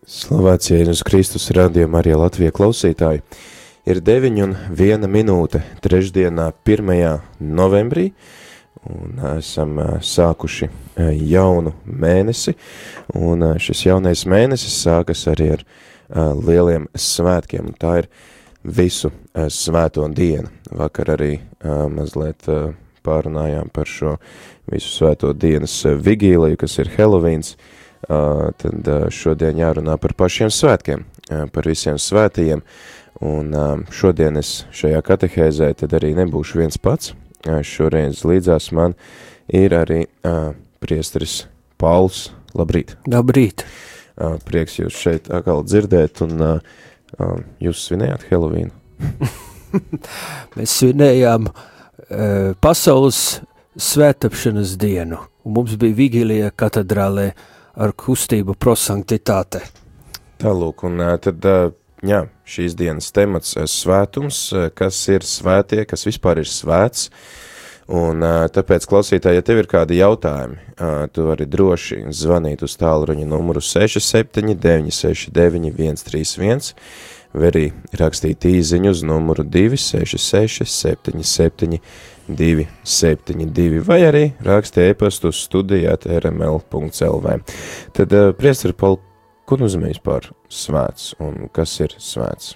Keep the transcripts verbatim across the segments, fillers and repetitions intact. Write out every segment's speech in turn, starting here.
Slavēts Jēzus Kristus, radījuma arī Latvija klausītāji. Ir deviņi un viena minūte trešdienā pirmajā novembrī, un esam sākuši jaunu mēnesi, un šis jaunais mēnesis sākas arī ar lieliem svētkiem, un tā ir visu svēto dienu. Vakar arī mazliet pārunājām par šo visu svēto dienas vigīliju, kas ir Helovīns. Uh, tad uh, šodien jārunā par pašiem svētkiem, uh, par visiem svētajiem, un uh, šodien es šajā katehēzē tad arī nebūšu viens pats. Uh, šoreiz līdzās man ir arī uh, priesteris Pauls. Labrīt! Labrīt! Uh, prieks jūs šeit atkal dzirdēt, un uh, uh, jūs svinējāt Helovīnu? Mēs svinējām uh, pasaules svētapšanas dienu, un mums bija vigīlija katedrālē ar kustību prosanktitāte. Tālūk, un tad, jā, šīs dienas temats svētums, kas ir svētie, kas vispār ir svēts, un tāpēc, klausītāji, ja tev ir kādi jautājumi, tu vari droši zvanīt uz tālruņa numuru seši septiņi deviņi seši deviņi viens trīs viens, vai arī rakstīt īziņu uz numuru divi seši seši septiņi septiņi divi septiņi divi, vai arī raksti e-pastu uz studijāt er em el punkts el vē. Tad, uh, priesteri Paul, ko nozīmē vispār svēts, un kas ir svēts?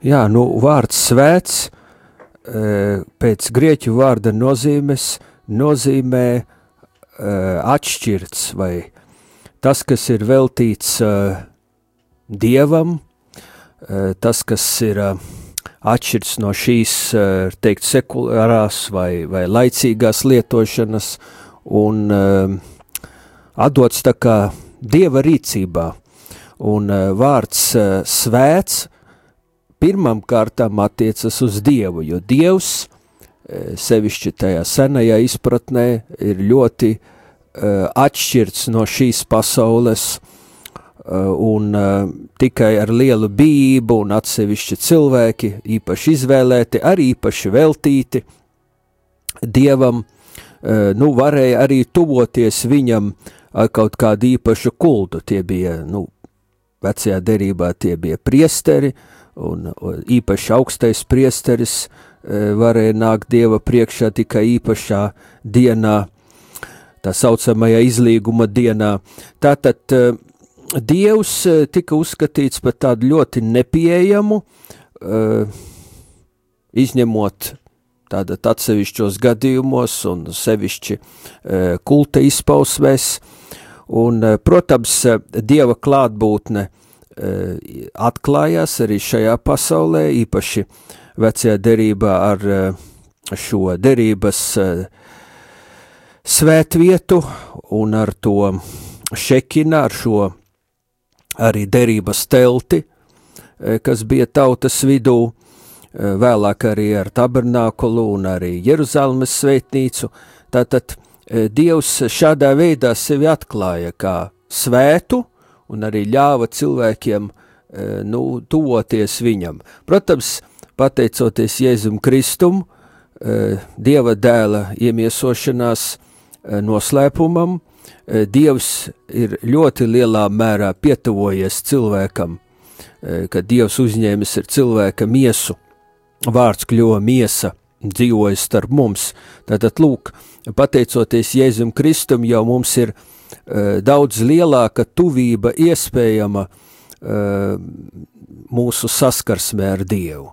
Jā, nu, vārds svēts uh, pēc grieķu vārda nozīmes nozīmē uh, atšķirts, vai tas, kas ir veltīts uh, Dievam, uh, tas, kas ir uh, atšķirts no šīs, teikt, sekulārās vai, vai laicīgās lietošanas un uh, atdots tā kā Dieva rīcībā. Un uh, vārds uh, svēts pirmam kārtām attiecas uz Dievu, jo Dievs, uh, sevišķi tajā senajā izpratnē, ir ļoti uh, atšķirts no šīs pasaules, un uh, tikai ar lielu bijību un atsevišķi cilvēki, īpaši izvēlēti, arī īpaši veltīti Dievam, uh, nu, varēja arī tuvoties viņam ar kaut kādu īpašu kultu. Tie bija, nu, vecajā derībā tie bija priesteri, un, un īpaši augstais priesteris uh, varēja nākt Dieva priekšā tikai īpašā dienā, tā saucamajā izlīguma dienā. Tātad, uh, Dievs tika uzskatīts par tādu ļoti nepieejamu, uh, izņemot tātad atsevišķos gadījumos un sevišķi uh, kulta izpausmēs, un, uh, protams, Dieva klātbūtne uh, atklājās arī šajā pasaulē, īpaši vecajā derībā ar uh, šo derības uh, svētvietu un ar to šekina, ar šo arī derības telti, kas bija tautas vidū, vēlāk arī ar tabernākulu un arī Jeruzalemes svētnīcu. Tātad Dievs šādā veidā sevi atklāja kā svētu un arī ļāva cilvēkiem, nu, tuvoties viņam. Protams, pateicoties Jēzum Kristum, Dieva dēla iemiesošanās noslēpumam, Dievs ir ļoti lielā mērā pietuvojies cilvēkam, kad Dievs uzņēmis ir cilvēka miesu, vārds kļuva miesa, dzīvojas starp mums. Tātad, lūk, pateicoties Jēzum Kristum, jau mums ir uh, daudz lielāka tuvība iespējama uh, mūsu saskarsmē ar Dievu.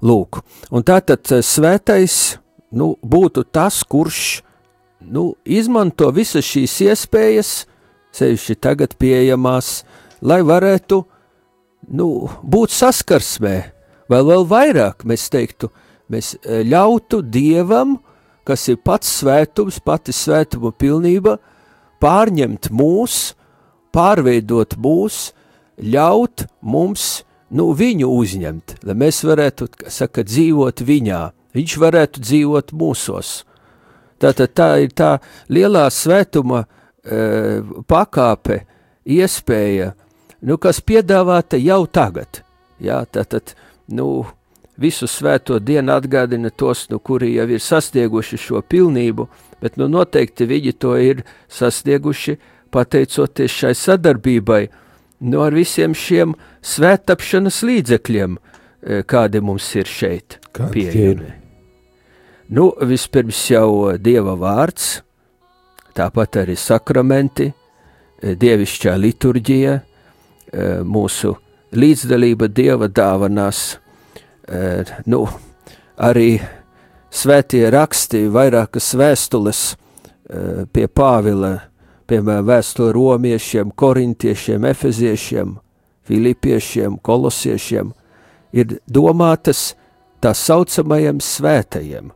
Lūk, un tātad svētais, nu, būtu tas, kurš nu, izmanto visas šīs iespējas, sevišķi tagad pieejamās, lai varētu, nu, būt saskarsmē, vai vēl vairāk, mēs teiktu, mēs ļautu Dievam, kas ir pats svētums, pati svētuma pilnība, pārņemt mūs, pārveidot mūs, ļaut mums, nu, viņu uzņemt, lai mēs varētu, saka, dzīvot viņā, viņš varētu dzīvot mūsos. Tātad tā ir tā lielā svētuma e, pakāpe, iespēja, nu, kas piedāvāta jau tagad. Jā, tātad, nu, visu svēto dienu atgādina tos, nu, kuri jau ir sasnieguši šo pilnību, bet, nu, noteikti viņi to ir sasnieguši pateicoties šai sadarbībai nu, ar visiem šiem svēttapšanas līdzekļiem, kādi mums ir šeit pieejami. Nu, vispirms jau Dieva vārds, tāpat arī sakramenti, dievišķā liturģija, mūsu līdzdalība Dieva dāvanās, nu, arī svētie raksti, vairākas vēstules pie Pāvila, piemēram, vēstule romiešiem, korintiešiem, efeziešiem, filipiešiem, kolosiešiem, ir domātas tā saucamajiem svētajiem.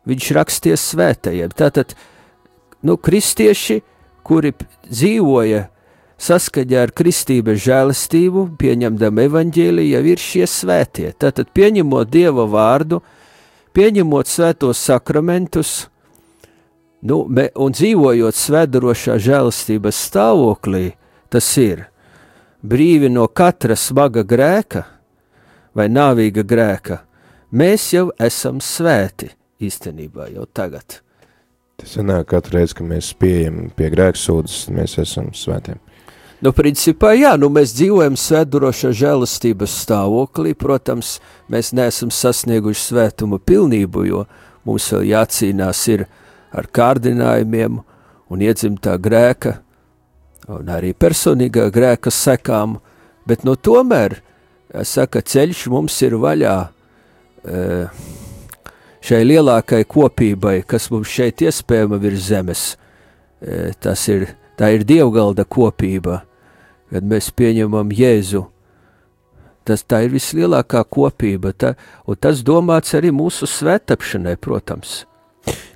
Viņš raksties svētajiem. Tātad, nu, kristieši, kuri dzīvoja saskaņā ar kristības žēlastību, pieņemdam evaņģēliju, jau ir šie svētie. Tātad, pieņemot Dieva vārdu, pieņemot svētos sakramentus, nu, me, un dzīvojot svētdarošā žēlastības stāvoklī, tas ir brīvi no katra smaga grēka vai nāvīga grēka, mēs jau esam svēti īstenībā jau tagad. Tas sanāk katru reizi, ka mēs pieejam pie grēksūdzes, mēs esam svētiem. Nu, principā, jā, nu mēs dzīvojam svētdarošā žēlastības stāvoklī, protams, mēs neesam sasnieguši svētuma pilnību, jo mums vēl jācīnās ir ar kārdinājumiem un iedzimtā grēka un arī personīgā grēka sekām, bet no tomēr, saka, ceļš mums ir vaļā šai lielākai kopībai, kas mums šeit iespējama virs zemes. Tas ir, tā ir dievgalda kopība, kad mēs pieņemam Jēzu. Tas, tā ir vislielākā kopība, tā, un tas domāts arī mūsu svētapšanai, protams.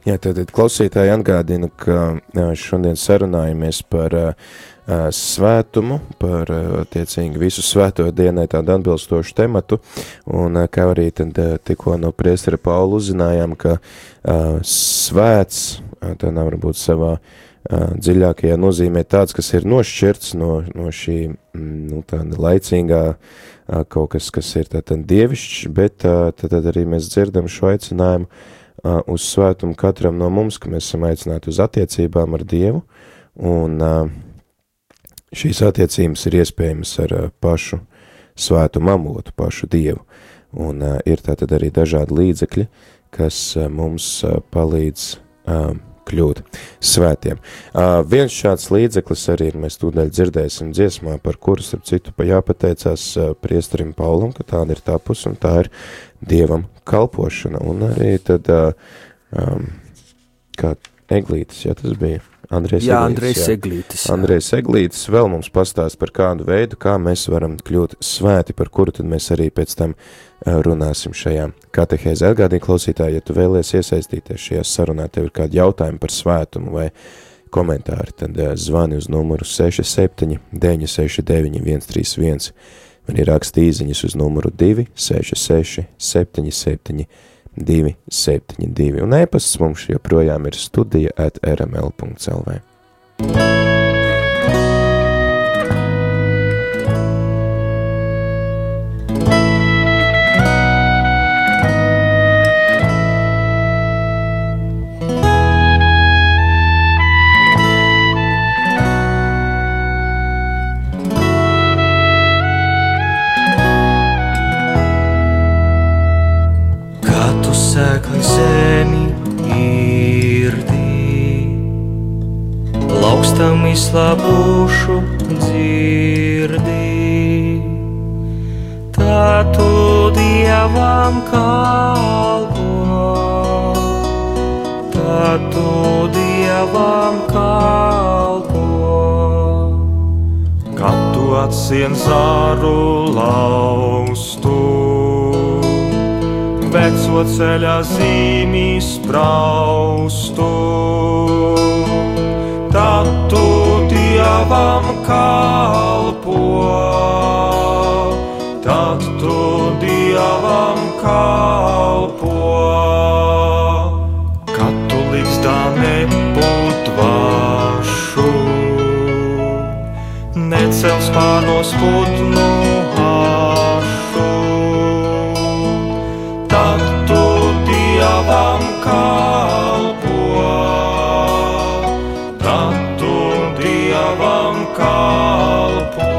Jā, tad klausītāji atgādina, ka šodien sarunājamies par uh, svētumu, par uh, tiecīgi visu svēto dienai tādu atbilstošu tematu, un uh, kā arī tad uh, tikko no priestera Paula uzzinājām, ka uh, svēts, uh, tā nav varbūt savā uh, dziļākajā nozīmē tāds, kas ir nošķirts no, no šī, nu, tāda laicīgā uh, kaut kas, kas ir tātad dievišķs, bet uh, tad, tad arī mēs dzirdam šo aicinājumu Uh, uz svētumu katram no mums, ka mēs esam aicināti uz attiecībām ar Dievu, un uh, šīs attiecības ir iespējamas ar uh, pašu svētumu avotu, pašu Dievu, un uh, ir tātad arī dažādi līdzekļi, kas uh, mums uh, palīdz uh, kļūt svētiem. Uh, viens šāds līdzeklis arī ir, mēs tūdaļ dzirdēsim dziesmā, par kuru, starp citu, jāpateicās uh, priesterim Paulam, ka tāda ir tā pus, un tā ir Dievam kalpošana, un arī tad, uh, um, kā Eglītis, jā, tas bija Andrejs jā, Eglītis. Andrejs jā, Eglītis. Jā. Andrejs Eglītis vēl mums pastāst par kādu veidu, kā mēs varam kļūt svēti, par kuru tad mēs arī pēc tam uh, runāsim šajā katehēzē. Atgādini, klausītāji, ja tu vēlies iesaistīties šajā sarunā, tev ir kādi jautājumi par svētumu vai komentāri, tad uh, zvani uz numuru seši septiņi deviņi seši deviņi viens trīs viens. Man ir raksta īziņas uz numuru divi seši seši septiņi septiņi divi septiņi divi, un e-pasts mums joprojām ir studija at r m l punkts l v. Sēkli zemi irdī, laukstam izslāpušu dzirdī. Tā tu Dievam kalpo, tā tu Dievam kalpo. Kad tu atsien zāru laustu, veco ceļā zīmī spraustu, tad tu Dievam kalpo, tad tu Dievam kalpo. Kad tu līgzdā nebūt vašu, necel spārnos putnu hašu, tad tu Dievam kalpo, tad tu Dievam kalpo.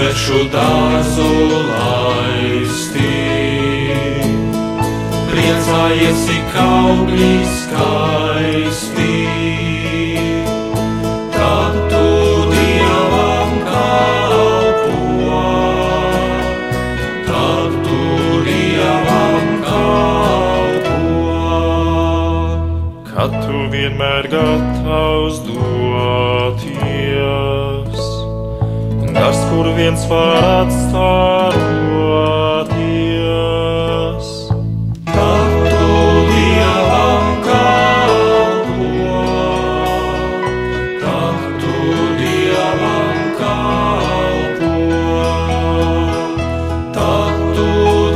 svešu dārzu laisti. Priecājies, ik augļi skaisti, tad tu Dievam kalpo, tad tu Dievam kalpo. Kad tu vienmēr gatavs doties, tas, kur viens var atstāroties, tad tu Dievam kalpo, tad tu Dievam kalpo, tad tu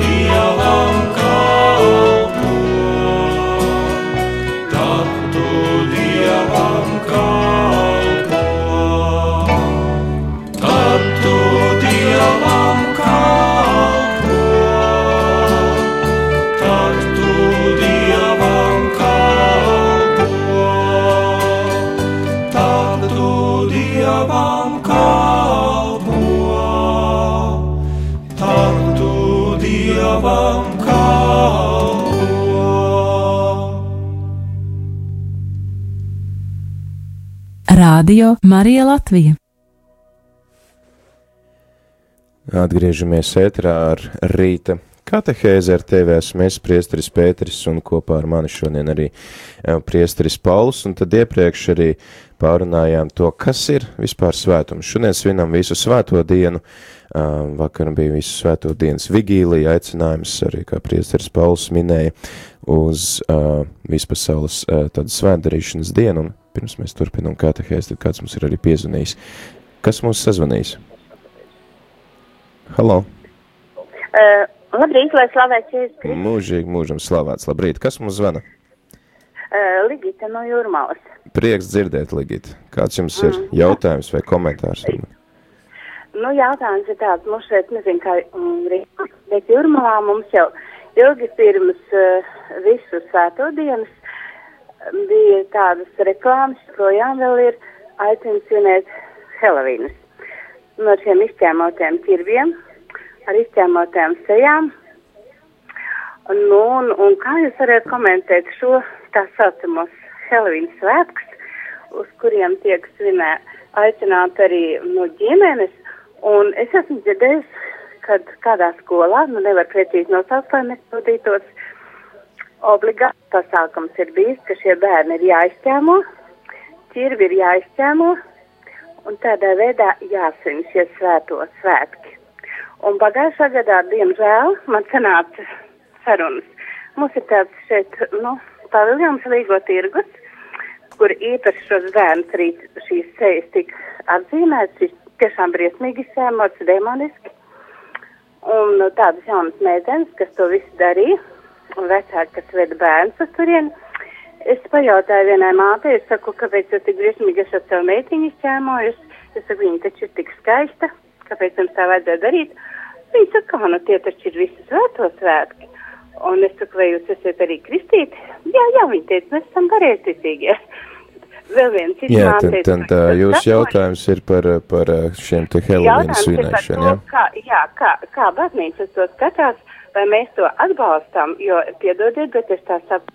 Dievam kalpo, tad tu Dievam kalpo, tad tu Dievam kalpo, tad tu Dievam kalpo, tad tu Dievam kalpo, tad tu Dievam kalpo. Rādio Marija Latvija. Atgriežamies ēterā ar rīta katehēzi. Ar tevi esmu es, priesteris Pēteris, un kopā ar mani šodien arī priesteris Pauls, un tad iepriekš arī pārunājām to, kas ir vispār svētums. Šodien svinam visu svēto dienu, vakar bija visu svēto dienas vigīlija, aicinājums arī, kā priesteris Pauls minēja, uz uh, vispasaules uh, tādu svētdarīšanas dienu, un pirms mēs turpinām katehēzi, tad kāds mums ir arī piezvanījis. Kas mums sazvanīs? Halo! Uh, labrīt, lai slavēts Jēzus Kristus. Mūžīgi mūžam slavēts. Labrīt. Kas mums zvana? Uh, Ligita no Jūrmalas. Prieks dzirdēt, Ligita. Kāds jums ir mm. jautājums vai komentārs? Nu, jautājums ir tāds, mums šeit, nezinu, kā um, Rīgā, bet Jūrmalā mums jau ilgi pirms uh, visu svēto dienas bija tādas reklāmas, projām vēl ir aicina svinēt Helovīnas. No šiem izķēmotiem ķirbiem, ar izķēmotiem sejām. Nu, un, un kā jūs varētu komentēt šo tā saucamos Helovīnas svētkus, uz kuriem tiek svinē aicināt arī no ģimenes, un es esmu dzirdējis, kad kādā skolā, nu nevar precīzi nosaukt, lai nepildītos, obligāti pasākums ir bijis, ka šie bērni ir jāizķēmo, ķirbi ir jāizķēmo, un tādā veidā jāsvin šie svēto svētki. Un pagājušā gadā, diemžēl, man sanāca sarunas. Mums ir tāds šeit, nu, paviljons Līgo tirgus, kur īpaši šos bērnus arī šīs sejas tika atzīmētas, šis tiešām briesmīgi izsēmots, demoniski. Un tādas jaunas meitenes, kas to visu darīja, un vecāki, kas veda bērnus uz turieni. Es pajautāju vienai mātei, es saku, kāpēc jūs tik briesmīgi esat savu meitiņu izķēmojusi. Es saku, viņa taču ir tik skaista, kāpēc jums tā vajadzēja darīt. Viņa saka, kā, nu tie taču ir visi svēto svētki. Un es saku, vai jūs esat arī kristīti? Jā, jā, viņa teica, mēs esam pareizticīgie. Vēl viens cits jā, māteica. Jā, tad jūs jautājums ir par, par šiem te Helovīnas svinēšanu, jā? Kā, jā, kā, kā baznīca to skatās, vai mēs to atbalstām, jo, piedodiet, bet es tā saprotu,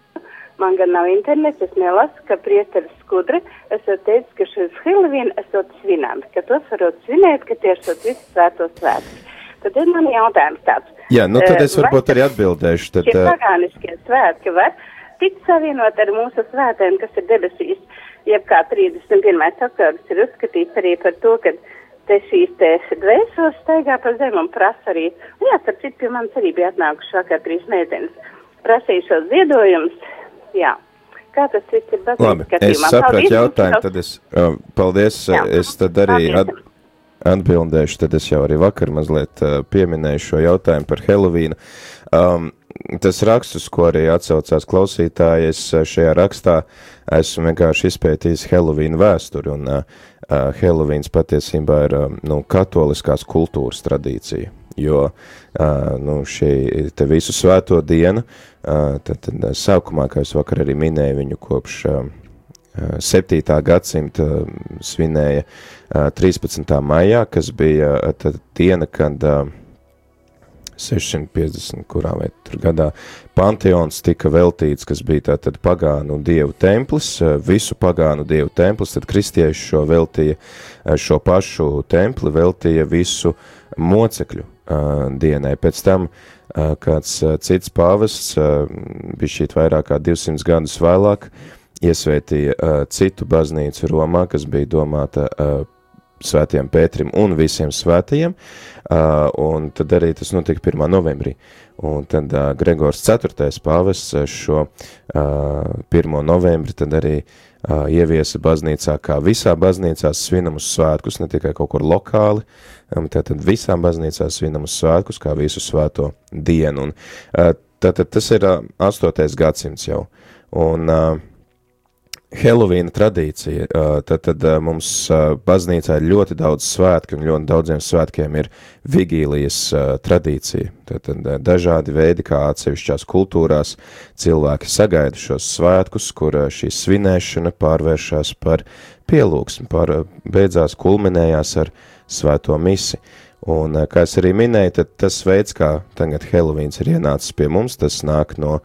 man gan nav internets, es nelasu, ka priesteris Skudra esot teicis, ka šis Helovīna esot svinām, ka tos varot svinēt, ka tie esot visi svētos svētki. Tad ir man jautājums tāds. Jā, nu tad es varbūt arī atbildēšu. Tad, šie pagāniskie svētki var tikt savienot ar mūsu svētēm, kas ir debesīs, jeb kā trīsdesmit pirmais oktobris ir uzskatīts arī par to, ka te šīs te dvēseles staigā pa zem un prasa arī, un jā, starp citu, pie manis arī bija atnākuši vakar trīs meitenes, prasīja šos ziedojumus, jā. Kā tas viss ir baznīcas Labi, skatījumā? es sapratu jautājumu, tad es, uh, paldies, jā. es tad arī at, atbildēšu, tad es jau arī vakar mazliet uh, pieminēju šo jautājumu par Helovīnu. Um, tas rakstus, ko arī atsaucās klausītāji, es šajā rakstā esmu vienkārši izpētījis Helovīnu vēsturi, un uh, Helovīns patiesībā ir uh, nu, katoliskās kultūras tradīcija, jo uh, nu, šī te visu svēto dienu, uh, tad, tad sākumā, kā es vakar arī minēju, viņu kopš uh, septītā gadsimta svinēja trīspadsmitā maijā, kas bija tad diena, kad sešsimt piecdesmit kurā vai tur gadā Panteons tika veltīts, kas bija tātad pagānu dievu templis, visu pagānu dievu templis, tad kristieši šo veltīja, šo pašu templi veltīja visu mocekļu dienai. Pēc tam kāds cits pāvests, bija šīt vairāk kā divsimt gadus vēlāk, iesvētīja uh, citu baznīcu Romā, kas bija domāta uh, svētiem Pētrim un visiem svētajiem, uh, un tad arī tas notika pirmā novembrī. Un tad uh, Gregors ceturtais pāvests šo uh, pirmo novembri tad arī uh, ieviesa baznīcā, kā visā baznīcā svinamus svētkus, ne tikai kaut kur lokāli, um, tātad visām baznīcās svinamus svētkus, kā visu svēto dienu. Un, uh, tātad tas ir uh, astotais gadsimts jau. Un uh, Helovīna tradīcija, tad, tad mums baznīcā ir ļoti daudz svētku, un ļoti daudziem svētkiem ir vigīlijas tradīcija. Tad, tad dažādi veidi, kā atsevišķās kultūrās cilvēki sagaida šos svētkus, kur šī svinēšana pārvēršās par pielūgsmi, par beidzās kulminējās ar svēto misi. Un, kā es arī minēju, tad tas veids, kā tagad Helovīns ir ienācis pie mums, tas nāk no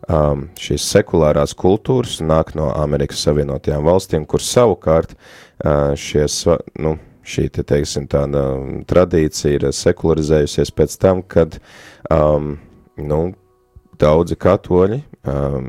um, šīs sekulārās kultūras, nāk no Amerikas Savienotajām valstīm, kur savukārt uh, šies, nu, šī, te teiksim, tāda tradīcija ir sekularizējusies pēc tam, kad um, nu, daudzi katoļi um,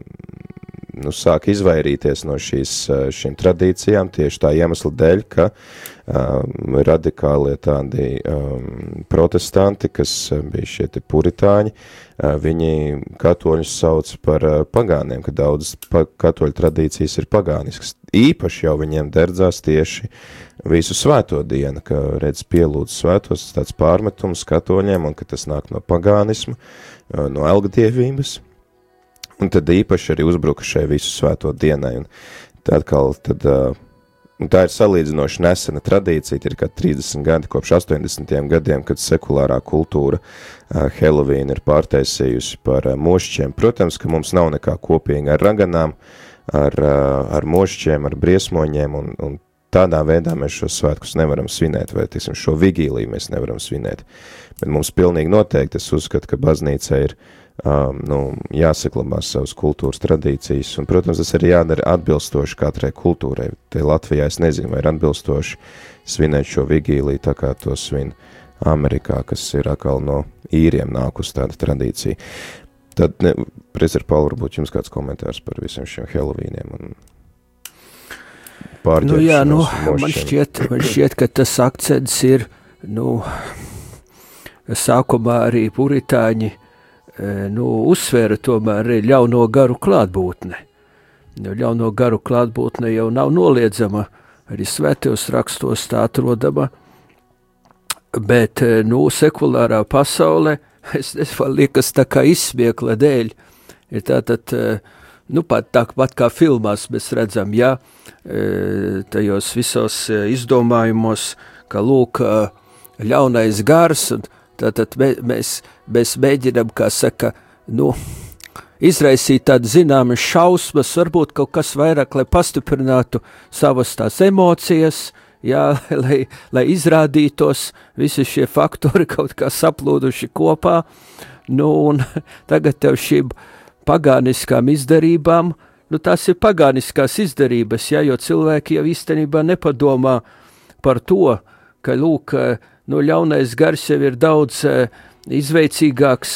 nu, sāk izvairīties no šīs, šīm tradīcijām tieši tā iemesla dēļ, ka um, radikālie tādi um, protestanti, kas bija šie te puritāņi, uh, viņi katoļus sauc par uh, pagāniem, ka daudzas pa katoļu tradīcijas ir pagāniskas. Īpaši jau viņiem derdzās tieši visu svēto dienu, ka redz pielūdz svētos, tāds pārmetums katoļiem, un ka tas nāk no pagānisma, uh, no elgdievības. Un tad īpaši arī uzbruka šai visu svēto dienai. Un tā atkal, tad, uh, tā ir salīdzinoši nesena tradīcija, ir kā trīsdesmit gadi kopš astoņdesmitajiem gadiem, kad sekulārā kultūra uh, Helovīnu ir pārtaisījusi par uh, mošķiem. Protams, ka mums nav nekā kopīga ar raganām, ar, uh, ar mošķiem, ar briesmoņiem, un, un tādā veidā mēs šos svētkus nevaram svinēt, vai, tiksim, šo vigīliju mēs nevaram svinēt. Bet mums pilnīgi noteikti es uzskatu, ka baznīca ir Um, nu, jāsaklabās savas kultūras tradīcijas, un, protams, tas arī jādara atbilstoši katrai kultūrai. Te Latvijā es nezinu, vai ir atbilstoši svinēt šo vigīliju, tā kā to svin Amerikā, kas ir atkal no īriem nākus tāda tradīcija. Tad, ne, Priester Paul, varbūt jums kāds komentārs par visiem šiem Helovīniem un pārģēršanos. Nu jā, nu, man šķiet, man šķiet, ka tas akcents ir, nu, sākumā arī puritāņi nu, uzsvēra tomēr ļauno garu klātbūtne. Ļauno garu klātbūtne jau nav noliedzama, arī svētajos rakstos tā atrodama, bet, nu, sekulārā pasaulē, es, es vēl liekas tā kā izsmiekla dēļ, ir tātad, nu, pat tāpat kā filmās mēs redzam, jā, tajos visos izdomājumos, ka lūk, ļaunais gars, un tātad mēs, mēs mēģinām, kā saka, nu, izraisīt tādu zināmas šausmas, varbūt kaut kas vairāk, lai pastiprinātu savas tās emocijas, jā, lai, lai izrādītos visi šie faktori kaut kā saplūduši kopā, nu, un tagad tev šīm pagāniskām izdarībām, nu, tās ir pagāniskās izdarības, jā, jo cilvēki jau īstenībā nepadomā par to, ka, lūk, nu, ļaunais gars jau ir daudz uh, izveicīgāks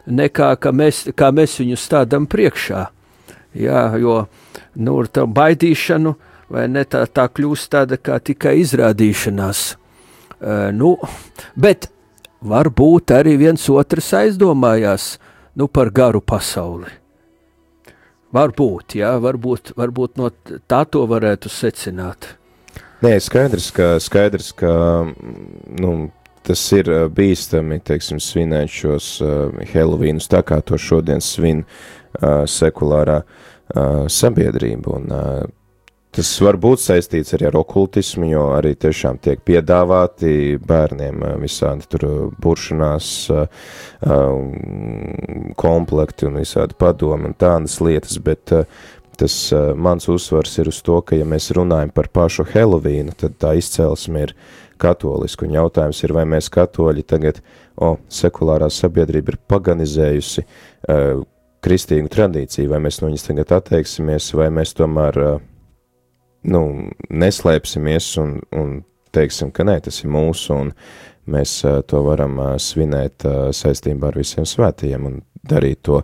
nekā ka mēs, kā mēs viņu stādam priekšā. Jā, jo, nu, ar tā baidīšanu, vai ne, tā, tā kļūst tāda kā tikai izrādīšanās. Uh, nu, bet varbūt arī viens otrs aizdomājās, nu, par garu pasauli. Varbūt, jā, varbūt, varbūt no tā to varētu secināt. Nē, skaidrs, ka, skaidrs, ka nu, tas ir bīstami, teiksim, svinēt šos uh, Helovīnus tā, kā to šodien svin uh, sekulārā uh, sabiedrība. Un, uh, tas var būt saistīts arī ar okultismu, jo arī tiešām tiek piedāvāti bērniem uh, visādi tur buršanās uh, uh, komplekti un visādi padomi un tādas lietas, bet uh, tas uh, mans uzsvars ir uz to, ka ja mēs runājam par pašu Helovīnu, tad tā izcelsme ir katoliska, un jautājums ir, vai mēs katoļi tagad, o, sekulārā sabiedrība ir paganizējusi uh, kristīgu tradīciju, vai mēs no viņas tagad atteiksimies, vai mēs tomēr, uh, nu, neslēpsimies un, un teiksim, ka nē, tas ir mūsu, un mēs uh, to varam uh, svinēt uh, saistībā ar visiem svētījiem un darīt to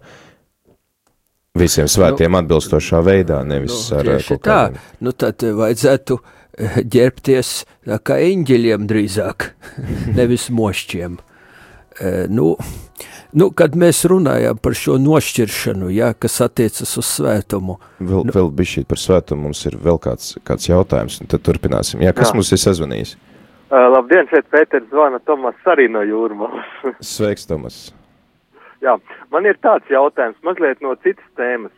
visiem svētiem nu, atbilstošā veidā, nevis nu, ar kaut kādiem. Tā, nu tad vajadzētu ģērbties kā eņģeļiem drīzāk, nevis mošķiem. Nu, nu, kad mēs runājām par šo nošķiršanu, jā, kas attiecas uz svētumu. Vēl, nu, vēl bišķīt par svētumu, mums ir vēl kāds, kāds jautājums, un tad turpināsim. Jā, kas jā. Mums ir sazvanījis? Uh, labdien, šeit Pēters zvana, Tomas arī no Jūrmalas. Sveiks, Tomas. Jā, man ir tāds jautājums, mazliet no citas tēmas.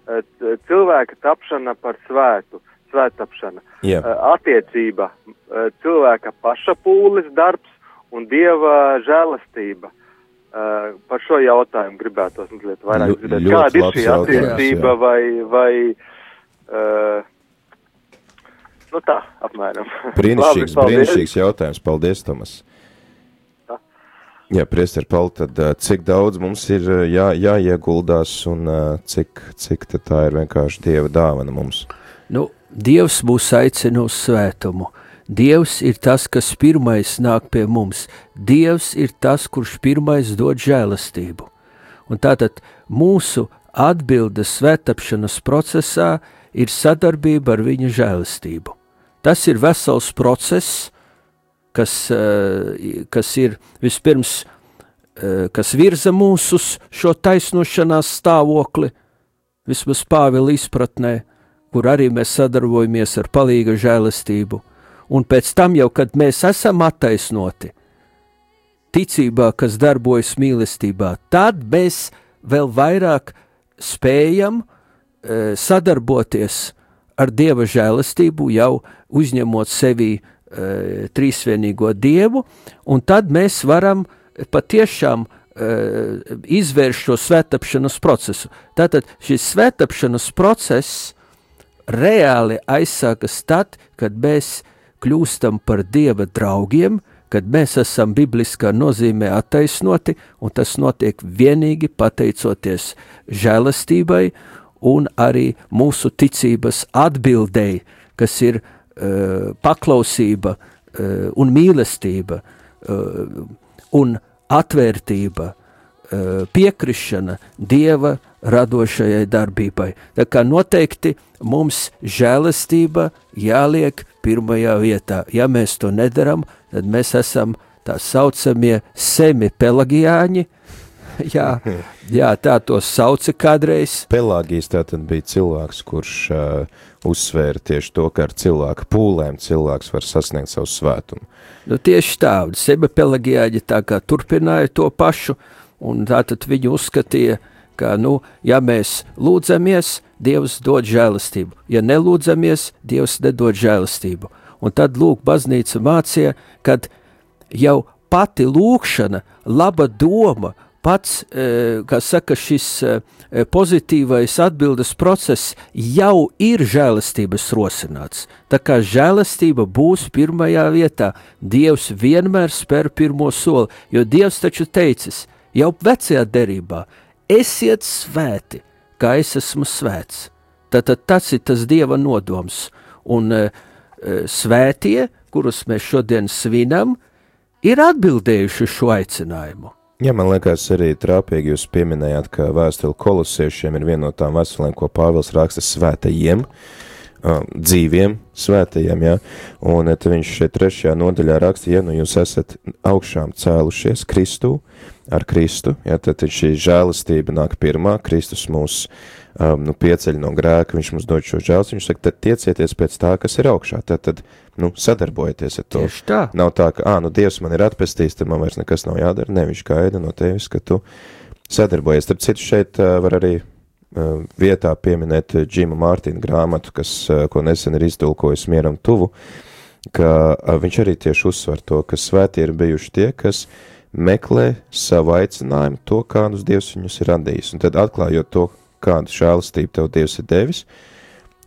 Uh, cilvēka tapšana par svētu, svētapšana. Yeah. Uh, attiecība, uh, cilvēka paša pūles darbs un Dieva žēlastība. Uh, par šo jautājumu gribētos mazliet vairāk dzirdēt. Kāda ir šī attiecība vai, vai uh, nu tā, apmēram. Brīnišķīgs, brīnišķīgs jautājums. Paldies, Tomas. Tā. Jā, priester Pauli, tad cik daudz mums ir jā, jāieguldās un cik, cik tad tā ir vienkārši Dieva dāvana mums? Nu, Dievs mūs aicina uz svētumu. Dievs ir tas, kas pirmais nāk pie mums. Dievs ir tas, kurš pirmais dod žēlastību. Un tātad mūsu atbildes svētapšanas procesā ir sadarbība ar viņa žēlastību. Tas ir vesels process, kas, kas ir vispirms, kas virza mūs uz šo taisnošanās stāvokli, vismaz Pāvila izpratnē, kur arī mēs sadarbojamies ar palīga žēlastību. Un pēc tam jau, kad mēs esam attaisnoti ticībā, kas darbojas mīlestībā, tad mēs vēl vairāk spējam e, sadarboties ar Dieva žēlastību, jau uzņemot sevī e, trīsvienīgo Dievu, un tad mēs varam patiešām e, izvērst šo svētapšanas procesu. Tātad šis svētapšanas process reāli aizsākas tad, kad mēs kļūstam par Dieva draugiem, kad mēs esam bibliskā nozīmē attaisnoti, un tas notiek vienīgi pateicoties žēlastībai un arī mūsu ticības atbildēji, kas ir uh, paklausība uh, un mīlestība uh, un atvērtība, uh, piekrišana Dieva radošajai darbībai. Tā kā noteikti mums žēlastība jāliek pirmajā vietā. Ja mēs to nedaram, tad mēs esam tā saucamie semi-pelagiāņi. jā, jā, tā to sauca kādreiz. Pelāgijas tātad bija cilvēks, kurš uh, uzsvēra tieši to, ka ar cilvēku pūlēm cilvēks var sasniegt savu svētumu. Nu, tieši tā, semi-pelagiāņi tā kā turpināja to pašu, un tātad viņi uzskatīja, ka, nu, ja mēs lūdzamies, Dievs dod žēlastību. Ja nelūdzamies, Dievs nedod žēlastību. Un tad, lūk, baznīca mācīja, kad jau pati lūkšana, laba doma, pats, kā saka, šis pozitīvais atbildes process jau ir žēlastības rosināts. Tā kā žēlastība būs pirmajā vietā, Dievs vienmēr spēr pirmo soli, jo Dievs taču teicis, jau vecajā derībā, esiet svēti, kā es esmu svēts. Tātad tas ir tas Dieva nodoms. Un e, svētie, kurus mēs šodien svinam, ir atbildējuši šo aicinājumu. Jā, man liekas arī trāpīgi jūs pieminējāt, ka vēstule kolosiešiem ir viena no tām vēstulēm, ko Pāvils raksta svētajiem, uh, dzīviem svētajiem, jā. Un te viņš šeit trešajā nodaļā raksta, ja nu jūs esat augšām cēlušies Kristū, ar Kristu, ja, tad šī žēlastība nāk pirmā, Kristus mūs um, nu, pieceļ no grēka, viņš mums dod šo žēlas, viņš saka, tad tiecieties pēc tā, kas ir augšā, tad, tad nu, sadarbojieties ar to. Tieši tā. Nav tā, ka, ā, nu, Dievs man ir atpestījis, tad man vairs nekas nav jādara, ne, viņš gaida no tevis, ka tu sadarbojies. Tad citu šeit uh, var arī uh, vietā pieminēt Džima Mārtīna grāmatu, kas, uh, ko nesen ir izdulkojis Mieram tuvu, ka uh, viņš arī tieši uzsver to, ka svētie ir bijuši tie, kas meklē savu aicinājumu, to, kā uz Dievs viņus ir radījis. Un tad atklājot to, kādu žēlastību tev Dievs ir devis,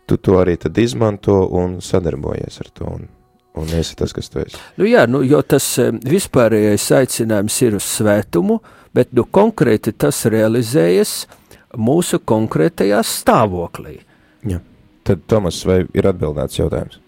tu to arī tad izmanto un sadarbojies ar to, un, un esi tas, kas tu esi. Nu jā, nu, jo tas vispārējais aicinājums ir uz svētumu, bet nu konkrēti tas realizējas mūsu konkrētajā stāvoklī. Jā, tad Tomas, vai ir atbildēts jautājums?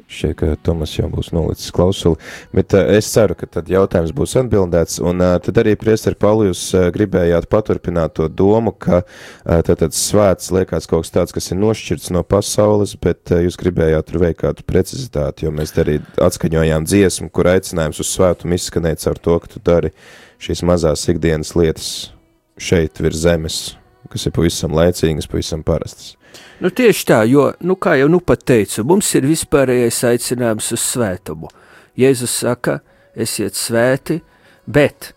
Šķiet, ka Tomas jau būs nolicis klausuli, bet uh, es ceru, ka tad jautājums būs atbildēts, un uh, tad arī priesteri Pauli, jūs uh, gribējāt paturpināt to domu, ka uh, tad, tad svēts liekas kaut kas tāds, kas ir nošķirts no pasaules, bet uh, jūs gribējāt tur veikt kādu precizitāti, jo mēs arī atskaņojām dziesmu, kur aicinājums uz svētumu izskanēt caur to, ka tu dari šīs mazās ikdienas lietas šeit virs zemes, kas ir pavisam laicīgas, pavisam parastas. Nu tieši tā, jo, nu kā jau nu pat teicu, mums ir vispārējais aicinājums uz svētumu. Jēzus saka, esiet svēti, bet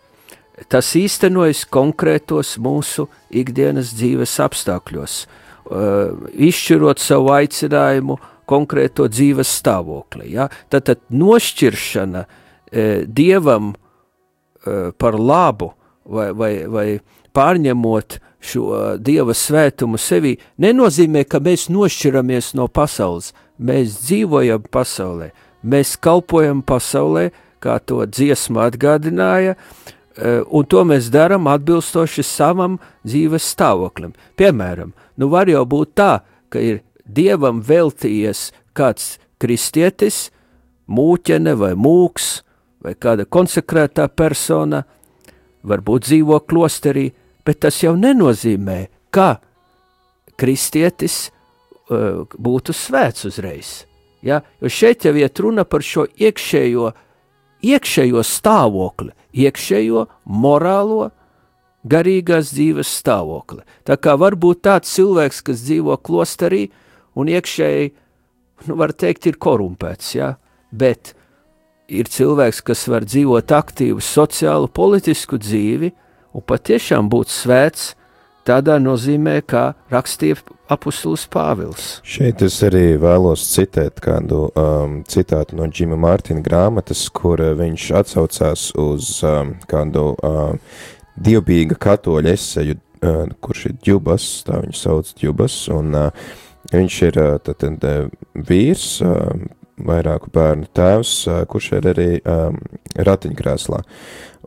tas īstenojas konkrētos mūsu ikdienas dzīves apstākļos, uh, izšķirot savu aicinājumu konkrēto dzīves stāvokli. Ja? Tātad nošķiršana uh, Dievam uh, par labu vai, vai, vai pārņemot šo Dieva svētumu sevī, nenozīmē, ka mēs nošķiramies no pasaules. Mēs dzīvojam pasaulē, mēs kalpojam pasaulē, kā to dziesma atgādināja, un to mēs daram atbilstoši savam dzīves stāvoklim. Piemēram, nu var jau būt tā, ka ir Dievam veltījies kāds kristietis, mūķene vai mūks, vai kāda konsekrētā persona, varbūt dzīvo klosterī, bet tas jau nenozīmē, ka kristietis uh, būtu svēts uzreiz. Ja? Jo šeit jau iet runa par šo iekšējo, iekšējo stāvokli, iekšējo morālo, garīgās dzīves stāvokli. Tā kā var būt tāds cilvēks, kas dzīvo klosterī un iekšēji, nu var teikt, ir korumpēts, ja? Bet ir cilvēks, kas var dzīvot aktīvu sociālu, politisku dzīvi, un patiešām būt svēts tādā nozīmē, kā rakstīja apustulis Pāvils. Šeit es arī vēlos citēt kādu um, citātu no Džima Mārtina grāmatas, kur uh, viņš atsaucās uz um, kādu um, dievbijīga katoļa eseju, uh, kurš ir Djubas, tā viņu sauc Djubas, un uh, viņš ir uh, tad, tad, vīrs, uh, vairāku bērnu tēvs, uh, kurš ir arī um, ratiņkrēslā.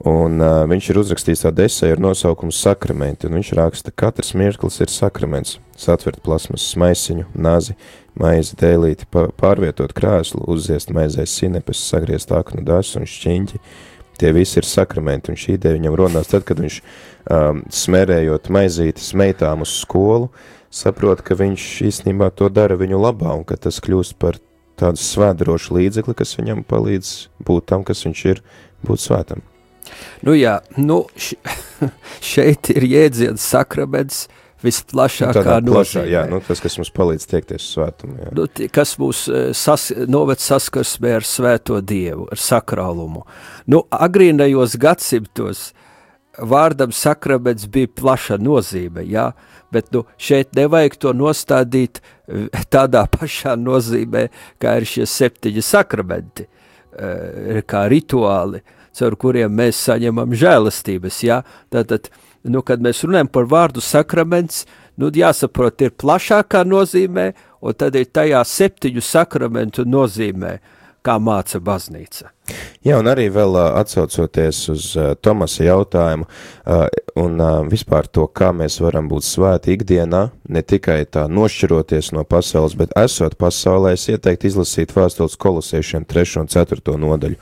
Un uh, viņš ir uzrakstījis tādu eseju ar nosaukumu sakramenti, un viņš raksta, katrs mirklis ir sakraments, satvert plasmasas maisiņu, nazi, maizi, dēlīti, pārvietot krēslu, uzziest maizēs sinepes, sagriezt aknu dasu un šķiņķi. Tie visi ir sakramenti, un šī ideja viņam rodās tad, kad viņš um, smerējot maizītes meitām uz skolu, saprot, ka viņš īstenībā to dara viņu labā, un ka tas kļūst par tādu svētdarošu līdzekli, kas viņam palīdz būt tam, kas viņš ir, būt svētam. Nu jā, nu šeit ir jēdziens sakraments visplašākā nu, plašā, nozīmē. Jā, nu tas, kas mums palīdz tiekties svētumu. Jā. Nu, kas mūs sas, noved saskarsmē ar svēto Dievu, ar sakrālumu. Nu, agrīnajos gadsimtos vārdam sakraments bija plaša nozīme, jā, bet nu, šeit nevajag to nostādīt tādā pašā nozīmē, kā ir šie septiņi sakramenti, kā rituāli, caur kuriem mēs saņemam žēlastības, jā. Tātad, nu, kad mēs runājam par vārdu sakraments, nu, jāsaprot, ir plašākā nozīmē, un tad ir tajā septiņu sakramentu nozīmē, kā māca baznīca. Jā, un arī vēl uh, atsaucoties uz uh, Tomasa jautājumu uh, un uh, vispār to, kā mēs varam būt svēti ikdienā, ne tikai tā nošķiroties no pasaules, bet esot pasaulē, es ieteiktu izlasīt vēstules kolosiešiem trešo un ceturto nodaļu.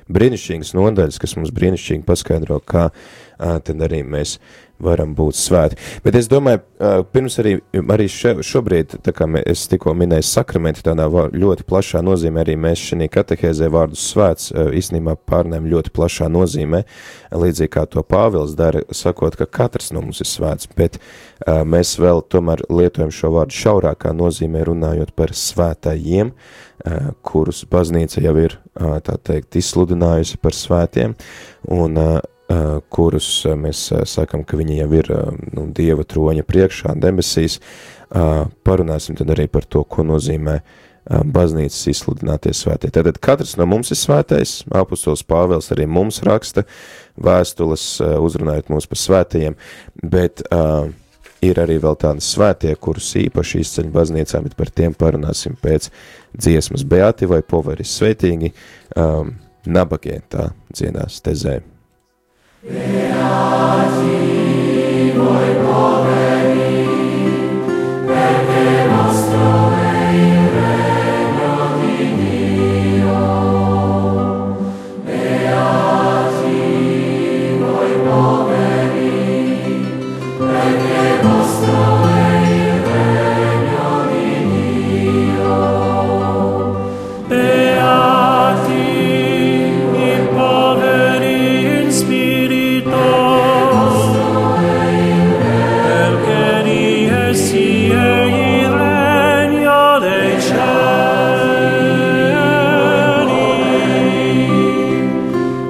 Brīnišķīgas nodaļas, kas mums brīnišķīgi paskaidro, kā uh, tad arī mēs varam būt svēti. Bet es domāju, uh, pirms arī, arī še, šobrīd, tā kā mē, es tikko minēju sakramenti, tādā ļoti plašā nozīmē, arī mēs šī katehēzē vārdu svēts uh, īstenībā pārnēm ļoti plašā nozīmē, līdzīgi kā to Pāvils dara, sakot, ka katrs no mums ir svēts, bet uh, mēs vēl tomēr lietojam šo vārdu šaurākā nozīmē, runājot par svētajiem, uh, kurus baznīca jau ir, uh, tā teikt, izsludinājusi par svētiem, un uh, Uh, kurus uh, mēs uh, sakam, ka viņi jau ir uh, nu, Dieva troņa priekšā, debesīs, uh, parunāsim tad arī par to, ko nozīmē uh, baznīcas izsludinātie svētie. Tātad katrs no mums ir svētais, apustols Pāvils arī mums raksta vēstules, uh, uzrunājot mūs par svētajiem, bet uh, ir arī vēl tādi svētie, kurus īpaši izceļ baznīcā, bet par tiem parunāsim pēc dziesmas. Beati vai poveris, svētīgi, um, nabagie, tā dziedās tezē. Beati vai poveri, perché nostro è il regno di Dio. Beati voi poveri, perché vostro è il regno di Dio. Beati i poveri in spirito, perché di essi è il regno dei cieli.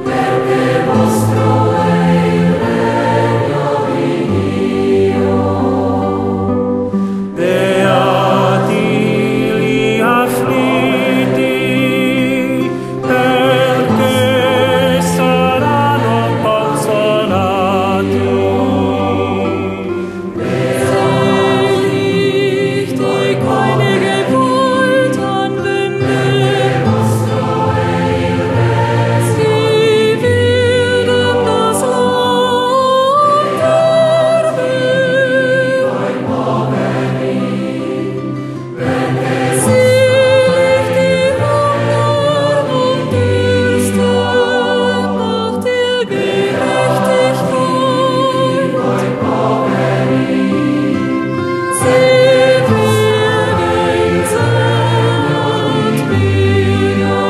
Perché vostro è il regno di Dio. Beati gli afflitti, perché saranno consolati. Selig die keine Gewalt anwenden, sie werden das Land erben. Selig die Hunger und Dürste nach der Gerechtigkeit. Sie werden Satt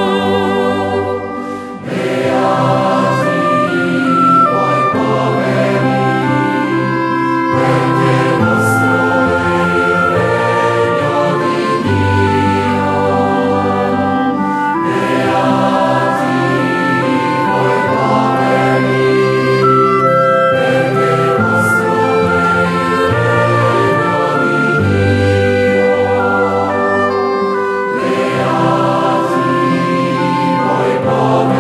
werden. Beati voi poveri, perché vostro è il regno di Dio. Beati voi poveri, perché vostro è il regno di Dio. Beati voi poveri, perché vostro è il regno di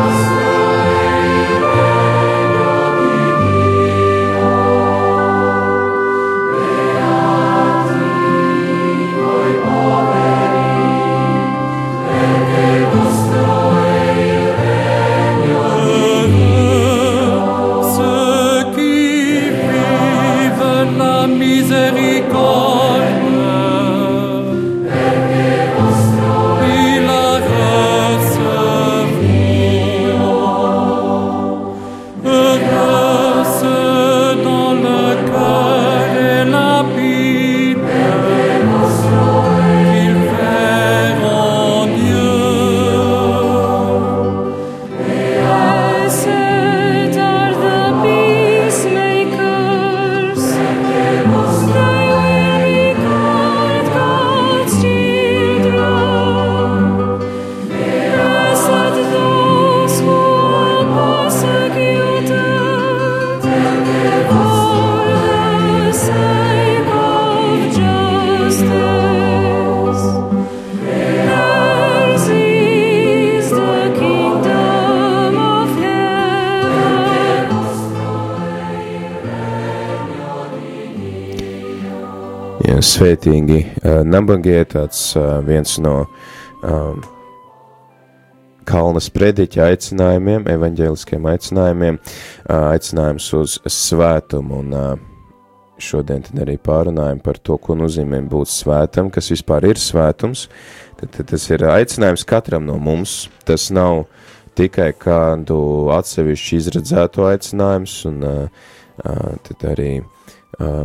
Dio. Beati voi poveri, perché vostro è il regno di Dio. Ceux qui vivent la miséricorde, perché vostro ils la recevront. Heureux ceux dont le cœur est lapide, perché vostro ils verront Dieu. Blessed are the peacemakers, they will regard God's children. Blessed those who are persecuted for the sake of justice. Theirs is the kingdom of heaven. Jā, svētīgi, uh, nabagie, tāds uh, viens no um, Kalnas prediķa aicinājumiem, evaņģēliskiem aicinājumiem, uh, aicinājums uz svētumu, un uh, šodien tad arī pārunājam par to, ko nozīmē būt svētam, kas vispār ir svētums. Tad, tad tas ir aicinājums katram no mums, tas nav tikai kādu atsevišķu izredzēto aicinājums, un uh, uh, tad arī uh,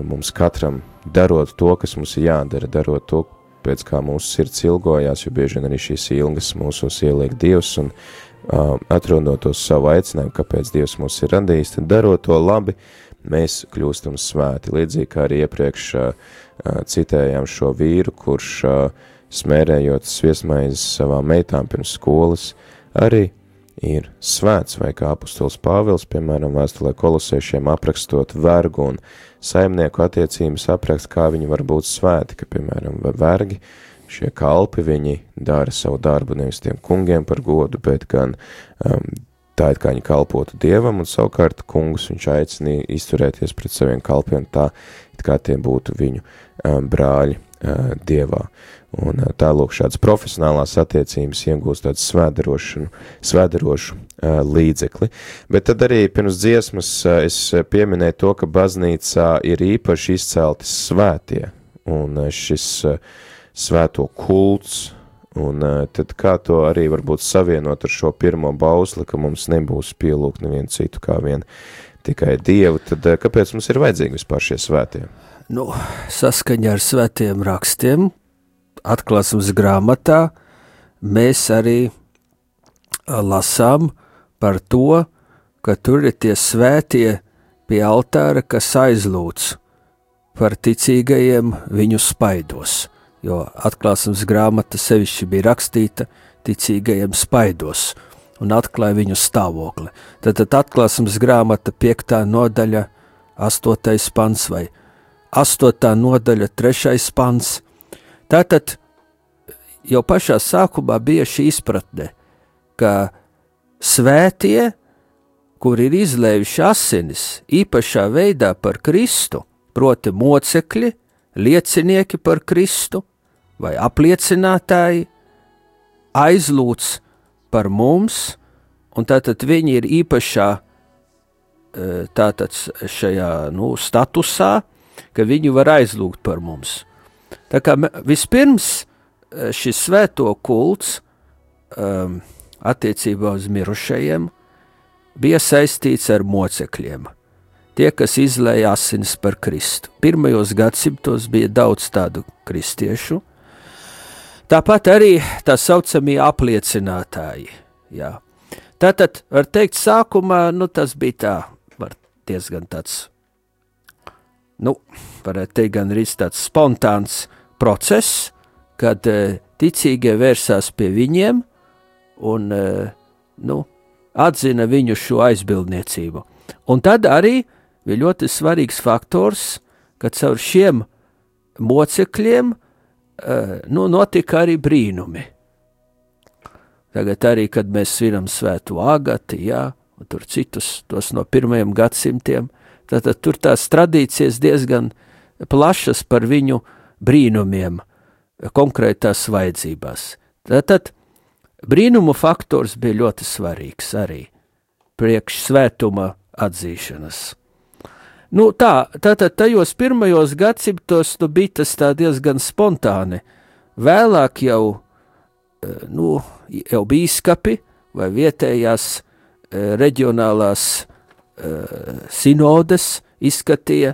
mums katram darot to, kas mums ir jādara, darot to, pēc kā mūsu sirds ilgojās, jo bieži vien arī šīs ilgas mūsos ieliek Dievs, un uh, atrodot to savu aicinājumu, kāpēc Dievs mūs ir radījis, tad darot to labi, mēs kļūstam svēti. Līdzīgi kā arī iepriekš uh, citējām šo vīru, kurš uh, smērējot sviestmaizes savām meitām pirms skolas, arī ir svēts, vai kā apustulis Pāvils, piemēram, vēstulē Kolosēšiem aprakstot vergu un saimnieku attiecības aprakst, kā viņi var būt svēti, ka, piemēram, vergi, šie kalpi, viņi dara savu darbu nevis tiem kungiem par godu, bet gan um, tā it kā viņi kalpotu Dievam, un savukārt kungus viņš aicina izturēties pret saviem kalpiem tā, it kā tie būtu viņu um, brāļi uh, Dievā. Un uh, tā lūk šādas profesionālās attiecības iegūst tādu svēdarošanu, svēdarošu uh, līdzekli. Bet tad arī pirms dziesmas uh, es pieminēju to, ka baznīcā ir īpaši izcelti svētie, un uh, šis uh, svēto kults, un uh, tad kā to arī varbūt savienot ar šo pirmo bausli, ka mums nebūs pielūgt nevienu citu kā vien tikai Dievu, tad uh, kāpēc mums ir vajadzīgi vispār šie svētie? Nu, saskaņā ar svētiem rakstiem, atklāsmes grāmatā, mēs arī lasām par to, ka tur ir tie svētie pie altāra, kas aizlūdz par ticīgajiem viņu spaidos. Jo atklāsmes grāmata sevišķi bija rakstīta ticīgajiem spaidos un atklāja viņu stāvokli. Tad, tad atklāsmes grāmata piektā nodaļa, astotais pants vai astotā nodaļa, trešais pants. Tātad jau pašā sākumā bija šī izpratne, ka svētie, kur ir izlējuši asinis īpašā veidā par Kristu, proti mocekļi, liecinieki par Kristu vai apliecinātāji, aizlūdz par mums, un tātad viņi ir īpašā tātad šajā nu, statusā, ka viņi var aizlūgt par mums. Tā kā vispirms šis svēto kults um, attiecībā uz mirušajiem bija saistīts ar mocekļiem. Tie, kas izlēja asinis par Kristu. Pirmajos gadsimtos bija daudz tādu kristiešu. Tāpat arī tā saucamie apliecinātāji. Jā. Tātad, var teikt, sākumā, nu, tas bija tā, var diezgan tāds, nu, varētu teikt, gan arī tāds spontāns process, kad e, ticīgie vērsās pie viņiem un, e, nu, atzina viņu šo aizbildniecību. Un tad arī bija ļoti svarīgs faktors, ka caur šiem mocekļiem uh, nu, notika arī brīnumi. Tagad arī, kad mēs svinam svētu Agati, jā, un tur citus tos no pirmajiem gadsimtiem, tad tur tās tradīcijas diezgan plašas par viņu brīnumiem konkrētās vajadzībās. Tātad brīnumu faktors bija ļoti svarīgs arī priekš svētuma atzīšanas. Nu tā, tātad tajos pirmajos gadsimtos nu, bija tas tā diezgan spontāni. Vēlāk jau, nu, jau bīskapi vai vietējās reģionālās sinodes izskatīja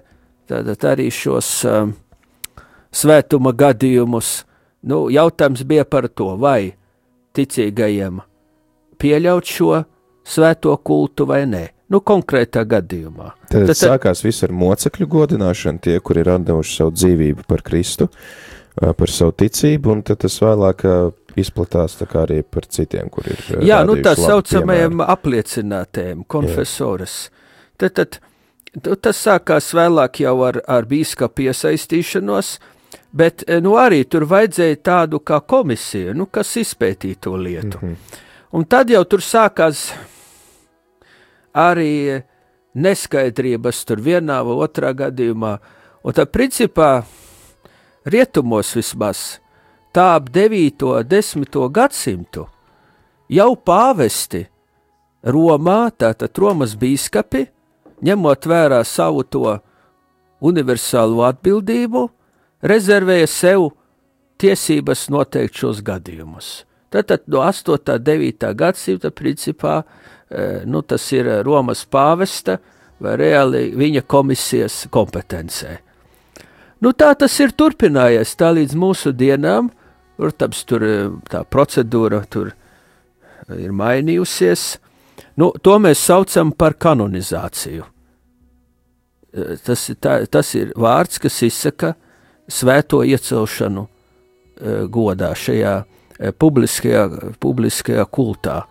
tātad arī šos um, svētuma gadījumus. Nu, jautājums bija par to, vai ticīgajiem pieļaut šo svēto kultu vai nē. Nu, konkrētā gadījumā. Tad, tad sākās viss ar mocekļu godināšanu, tie, kuri ir atdevuši savu dzīvību par Kristu, par savu ticību, un tad tas vēlāk izplatās tā kā arī par citiem, kuri ir Jā, nu tā saucamajiem apliecinātējiem, konfesores. Tad, tad tas sākās vēlāk jau ar, ar bīskapu iesaistīšanos, bet nu arī tur vajadzēja tādu kā komisiju, nu, kas izpētīja to lietu. Mm-hmm. Un tad jau tur sākās arī neskaidrības tur vienā vai otrā gadījumā. Un tā principā rietumos vismaz tā ap devīto, desmito gadsimtu jau pāvesti Romā, tātad Romas bīskapi, ņemot vērā savu to universālo atbildību, rezervēja sev tiesības noteikt šos gadījumus. Tātad no astotā, devītā gadsimta principā, nu tas ir Romas pāvesta vai reāli viņa komisijas kompetencē. Nu tā tas ir turpinājies tā līdz mūsu dienām, protams, tur tā procedūra tur ir mainījusies. Nu, to mēs saucam par kanonizāciju. Tas, tā, tas ir vārds, kas izsaka svēto iecelšanu godā šajā publiskajā, publiskajā kultā.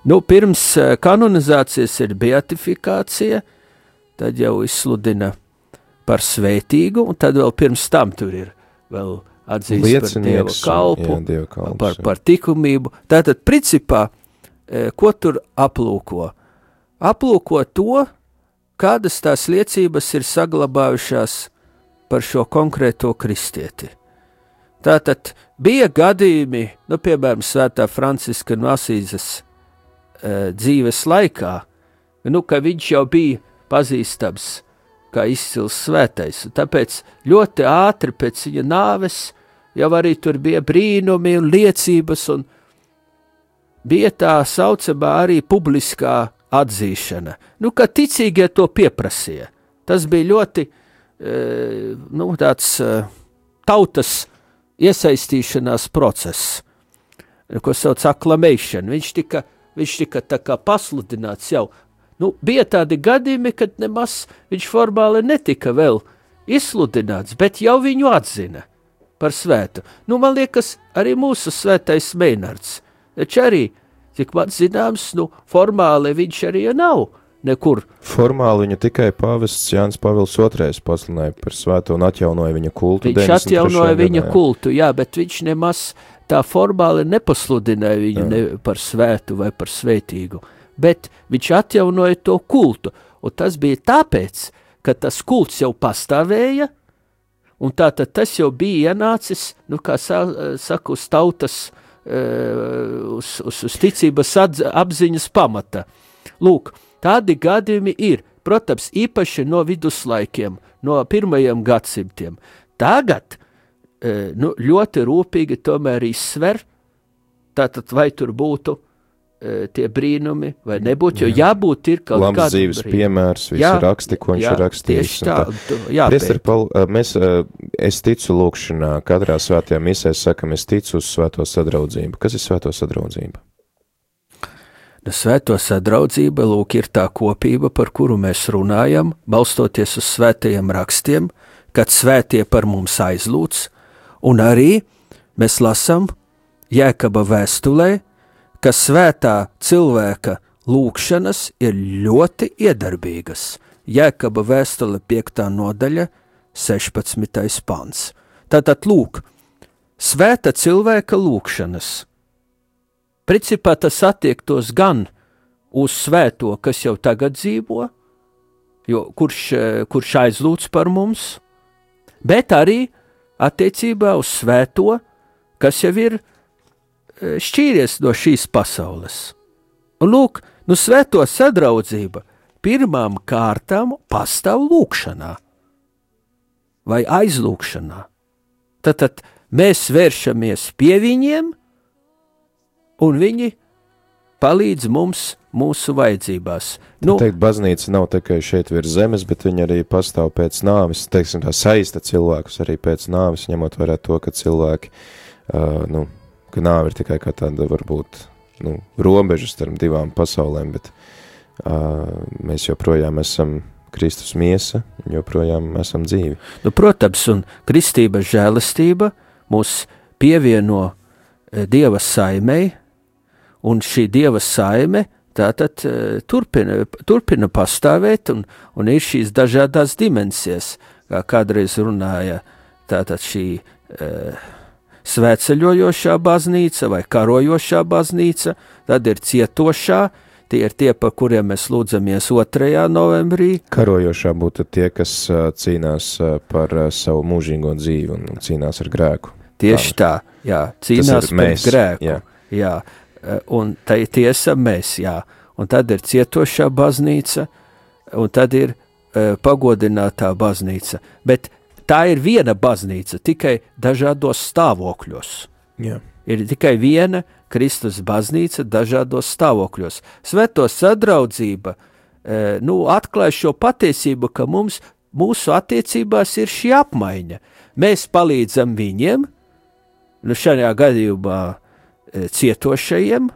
Nu, pirms kanonizācijas ir beatifikācija, tad jau izsludina par svētīgu, un tad vēl pirms tam tur ir vēl atzīst par Dieva kalpu, jā, Dieva kalps, par, par tikumību. Tātad, principā, ko tur aplūko? Aplūko to, kādas tās liecības ir saglabājušās par šo konkrēto kristieti. Tātad bija gadījumi, nu, piemēram, Svētā Franciska no Asīzes e, dzīves laikā, nu, ka viņš jau bija pazīstams kā izcils svētais, un tāpēc ļoti ātri pēc viņa nāves jau arī tur bija brīnumi un liecības, un bija tā saucamā arī publiskā atzīšana. Nu, ka ticīgie to pieprasīja. Tas bija ļoti, e, nu, tāds e, tautas iesaistīšanās process, ko sauc acclamation. Viņš tika, viņš tika tā kā pasludināts jau. Nu, bija tādi gadījumi, kad nemaz viņš formāli netika vēl izsludināts, bet jau viņu atzina par svētu. Nu, man liekas, arī mūsu svētais Meinards. Taču arī, cik man zināms, nu, formāli viņš arī nav nekur. Formāli viņu tikai pāvests Jānis Pavils otrais pasludināja par svēto un atjaunoja viņa kultu. Viņš atjaunoja viņa gadā, kultu, jā, bet viņš nemaz tā formāli nepasludināja viņu ne par svētu vai par svētīgu, bet viņš atjaunoja to kultu, un tas bija tāpēc, ka tas kults jau pastāvēja, un tātad tas jau bija ienācis, nu, kā saka, uz tautas, uz, uz, uz ticības atz, apziņas pamata. Lūk, tādi gadījumi ir, protams, īpaši no viduslaikiem, no pirmajiem gadsimtiem. Tagad nu, ļoti rūpīgi tomēr izsver, tātad vai tur būtu tie brīnumi, vai nebūtu, jo jābūt ir kaut kāda Labs dzīves brīnumi. Piemērs, visi jā, raksti, ko viņš jā, ir rakstījis. Tā, tā. Priester Paul, mēs, es ticu lūkšanā, katrā svētajā misē sakam, es ticu uz svēto sadraudzību. Kas ir svēto sadraudzība? Svēto sadraudzība, lūk, ir tā kopība, par kuru mēs runājam, balstoties uz svētajiem rakstiem, kad svētie par mums aizlūdz, un arī mēs lasam Jēkaba vēstulē, ka svētā cilvēka lūkšanas ir ļoti iedarbīgas. Jēkaba vēstule piektā nodaļa, sešpadsmitais pants. Tātad lūk, svēta cilvēka lūkšanas. Principā tas attiektos gan uz svēto, kas jau tagad dzīvo, jo kurš, kurš aizlūdz par mums, bet arī attiecībā uz svēto, kas jau ir šķīries no šīs pasaules. Un lūk, nu svēto sadraudzība pirmām kārtām pastāv lūkšanā vai aizlūkšanā. Tad, tad mēs vēršamies pie viņiem, un viņi palīdz mums mūsu vajadzībās. Nu, teikt, baznīca nav tikai šeit virs zemes, bet viņa arī pastāv pēc nāves, teiksim, tā saista cilvēkus arī pēc nāves, ņemot vērā to, ka cilvēki, uh, nu, ka nāve ir tikai kā tāda, varbūt, nu, robeža starp divām pasaulēm, bet uh, mēs joprojām esam Kristus miesa, joprojām esam dzīvi. Nu, protams, un kristības žēlastība mūs pievieno Dieva saimei, un šī Dieva saime tātad turpina, turpina pastāvēt, un, un ir šīs dažādās dimensijas, kā kādreiz runāja tātad šī uh, svētceļojošā baznīca vai karojošā baznīca, tad ir cietošā, tie ir tie, par kuriem mēs lūdzamies otrajā novembrī. Karojošā būtu tie, kas uh, cīnās uh, par uh, savu mūžīgo dzīvi un cīnās ar grēku. Tieši tā, jā, cīnās par mēs, grēku, jā. jā, un tā ir tiesa mēs, jā, un tad ir cietošā baznīca, un tad ir uh, pagodinātā baznīca, bet tā ir viena baznīca, tikai dažādos stāvokļos. Jā. Ir tikai viena Kristus baznīca dažādos stāvokļos. Svēto sadraudzība e, nu, atklāj šo patiesību, ka mums, mūsu attiecībās ir šī apmaiņa. Mēs palīdzam viņiem, nu šajā gadījumā e, cietošajiem,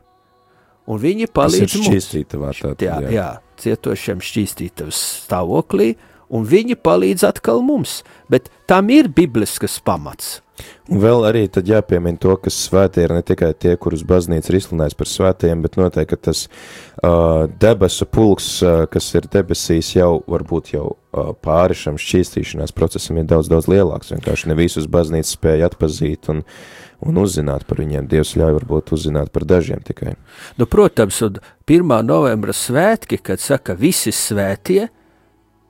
un viņi palīdz mums. Šķīstītavā tātad, jā, jā, cietošiem šķīstītavas stāvoklī, un viņi palīdz atkal mums, bet tam ir bibliskas pamats. Un vēl arī tad jāpiemina to, ka svētie ir ne tikai tie, kurus baznīca ir izsludinājusi par svētajiem, bet noteikti, ka tas uh, debesu pulks, uh, kas ir debesīs, jau varbūt jau uh, pāri šam šķīstīšanās procesam ir daudz, daudz lielāks. Vienkārši ne visus baznīca spēja atpazīt un, un uzzināt par viņiem. Dievs ļauj varbūt uzzināt par dažiem tikai. Nu, protams, un pirmā novembra svētki, kad saka visi svētie,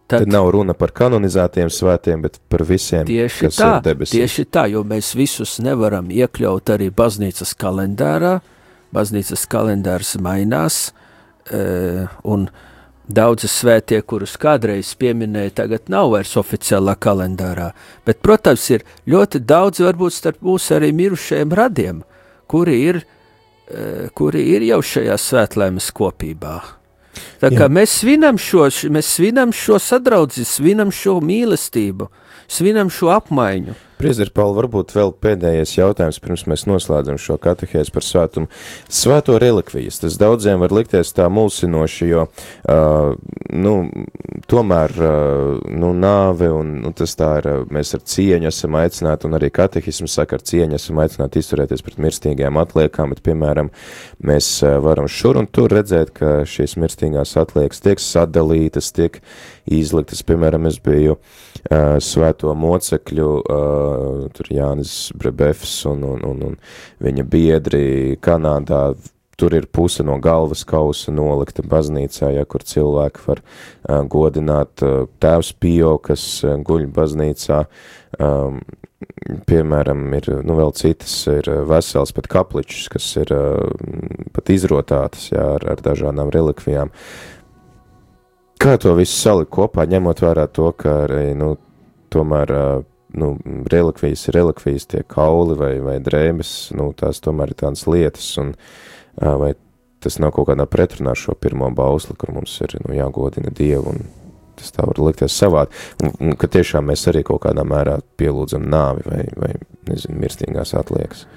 Tad, tad nav runa par kanonizētiem svētiem, bet par visiem, kas tā, ir debesīs. Tieši tā, jo mēs visus nevaram iekļaut arī baznīcas kalendārā. Baznīcas kalendārs mainās, e, un daudzi svētie, kurus kādreiz pieminēja, tagad nav vairs oficiālā kalendārā. Bet, protams, ir ļoti daudz varbūt starp mūsu arī mirušajiem radiem, kuri ir, e, kuri ir jau šajā svētlaimes kopībā. Tā kā Jā. mēs svinam šo, mēs svinam šo sadraudzi, svinam šo mīlestību, svinam šo apmaiņu. Priester Pauli, varbūt vēl pēdējais jautājums, pirms mēs noslēdzam šo katehēzi par svētumu. Svēto relikvijas, tas daudziem var likties tā mulsinoši, jo, uh, nu, tomēr, uh, nu, nāve un, nu, tas tā ir, mēs ar cieņu esam aicināti, un arī katehismu saka, ar cieņu esam aicināti izturēties pret mirstīgajām atliekām, bet, piemēram, mēs uh, varam šur un tur redzēt, ka šīs mirstīgās atliekas tiek sadalītas, tiek izliktas, piemēram, es biju uh, svēto mocekļu, uh, tur Jānis Brebefs un, un, un, un viņa biedri Kanādā, tur ir puse no galvas kausa nolikta baznīcā, ja, kur cilvēki var uh, godināt uh, tēvs Pio, kas uh, guļ baznīcā, um, piemēram, ir, nu, vēl citas ir vesels pat kapličs, kas ir uh, pat izrotātas, jā, ar, ar dažādām relikvijām. Kā to visu salikt kopā, ņemot vērā to, ka arī, nu, tomēr uh, nu, relikvijas ir relikvijas, tie kauli vai, vai drēbes, nu, tās tomēr ir tādas lietas, un uh, vai tas nav kaut kādā pretrunā šo pirmo bausli, kur mums ir, nu, jāgodina Dievu, un tas tā var likties savādi, un, un ka tiešām mēs arī kaut kādā mērā pielūdzam nāvi vai, vai nezinu, mirstīgās atliekas.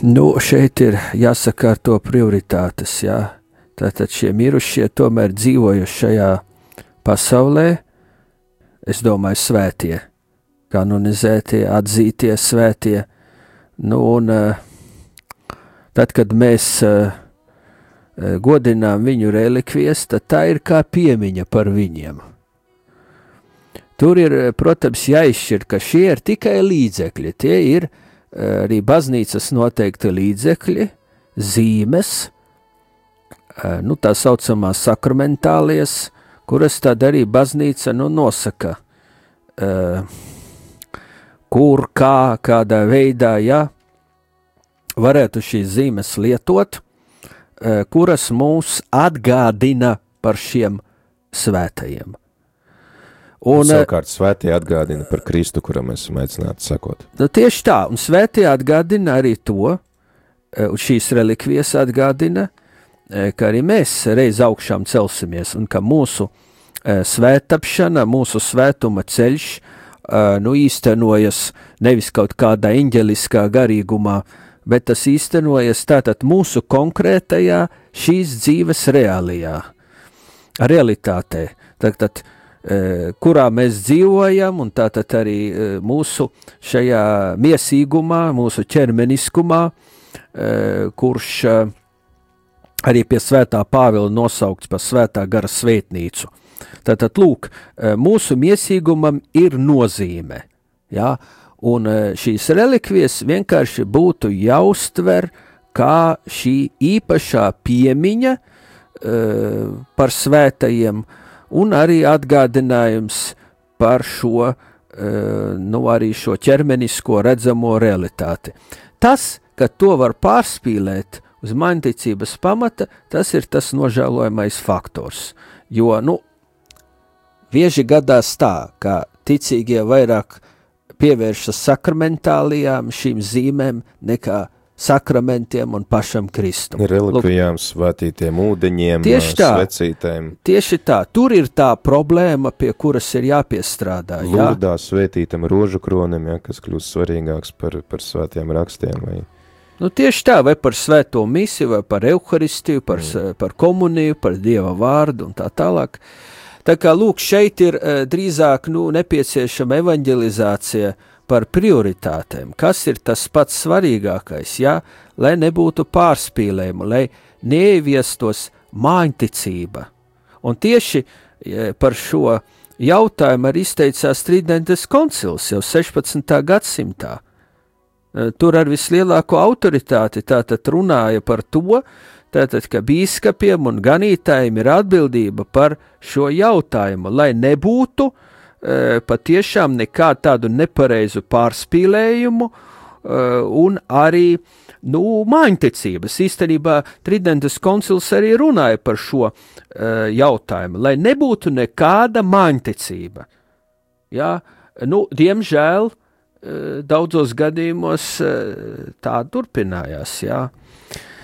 Nu, šeit ir jāsaka ar to prioritātes, jā. Tātad šie mirušie tomēr dzīvojuši šajā pasaulē, es domāju, svētie, kanonizētie, atzītie svētie, nu, un tad, kad mēs godinām viņu relikvijas, tad tā ir kā piemiņa par viņiem. Tur ir, protams, jāizšķir, ka šie ir tikai līdzekļi, tie ir arī baznīcas noteikti līdzekļi, zīmes, nu, tā saucamās sakramentālies, kuras tad arī baznīca, nu, nosaka, uh, kur, kā, kādā veidā, ja, varētu šīs zīmes lietot, uh, kuras mūs atgādina par šiem svētajiem. Un, un savukārt svētie atgādina par Kristu, kuram mēs esam aicināti sakot. Nu, tieši tā, un svētie atgādina arī to, un šīs relikvijas atgādina, ka arī mēs reiz augšām celsimies, un ka mūsu e, svētapšana, mūsu svētuma ceļš, e, nu, īstenojas nevis kaut kādā eņģeliskā garīgumā, bet tas īstenojas tātad mūsu konkrētajā šīs dzīves reālijā, realitātē, tātad, e, kurā mēs dzīvojam, un tātad arī e, mūsu šajā miesīgumā, mūsu ķermeniskumā, e, kurš e, arī pie svētā Pāvila nosaukts par svētā gara svētnīcu. Tātad, lūk, mūsu miesīgumam ir nozīme, ja? Un šīs relikvijas vienkārši būtu jāuztver kā šī īpašā piemiņa uh, par svētajiem un arī atgādinājums par šo, uh, nu, arī šo ķermenisko redzamo realitāti. Tas, ka to var pārspīlēt uz mainticības pamata, tas ir tas nožēlojamais faktors, jo, nu, bieži gadās tā, ka ticīgie vairāk pievēršas sakramentālijām, šīm zīmēm, nekā sakramentiem un pašam Kristum. Relikvijām, svētītiem ūdeņiem, tieši tā, svecītēm. Tieši tā, tur ir tā problēma, pie kuras ir jāpiestrādā. Lurdā svētītam rožu kronim, ja, kas kļūst svarīgāks par, par svētiem rakstiem. Vai... Nu, tieši tā, vai par svēto misiju, vai par euharistiju, par, mm. par komuniju, par Dieva vārdu un tā tālāk. Tā kā, lūk, šeit ir uh, drīzāk, nu, nepieciešama evanģelizācija par prioritātēm, kas ir tas pats svarīgākais, jā, lai nebūtu pārspīlējumu, lai neieviestos māņticība. Un tieši par šo jautājumu arī izteicās Tridentes koncils jau sešpadsmitā gadsimtā. Tur ar vislielāko autoritāti tātad runāja par to, tātad, ka bīskapiem un ganītājiem ir atbildība par šo jautājumu, lai nebūtu e, patiešām nekādu tādu nepareizu pārspīlējumu e, un arī, nu, māņticības. Īstenībā Tridentes koncils arī runāja par šo e, jautājumu, lai nebūtu nekāda māņticība. Jā, nu, diemžēl, e, daudzos gadījumos e, tā turpinājās, jā.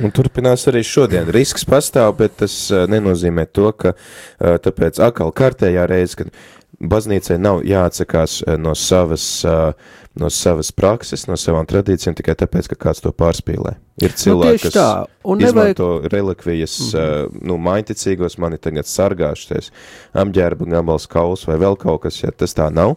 Un turpinās arī šodien. Risks pastāv, bet tas uh, nenozīmē to, ka uh, tāpēc atkal kārtējā reize, kad baznīcai nav jāatsakās uh, no savas, uh, no savas prakses, no savām tradīcijām, tikai tāpēc, ka kāds to pārspīlē. Ir cilvēki, nu, kas izmanto nevajag... relikvijas, mm-hmm. uh, nu, maiticīgos, mani tagad sargāšties, apģērba gabals kauls vai vēl kaut kas, ja tas tā nav.